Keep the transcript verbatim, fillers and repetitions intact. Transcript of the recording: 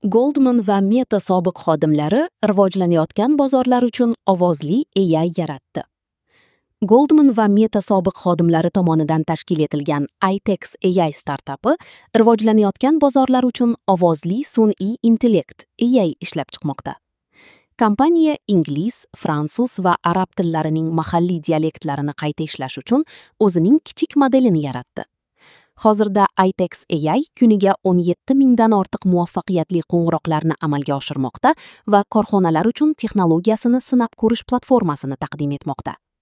Goldman va Meta sobiq xodimlari rivojlanayotgan bozorlar uchun ovozli A I yaratdi. Goldman va Meta sobiq xodimlari tomonidan tashkil etilgan iTex A I startapi rivojlanayotgan bozorlar uchun ovozli sun'iy intellekt A I ishlab chiqmoqda. Kompaniya ingliz, fransuz va arab tillarining mahalliy dialektlarini qayta ishlash uchun o'zining kichik modelini yaratdi. Hozirda iTex A I kuniga o'n yetti mingdan ortiq muvaffaqiyatli qo'ng'iroqlarni amalga oshirmoqda va korxonalar uchun texnologiyasini sinab ko'rish platformasini taqdim etmoqda.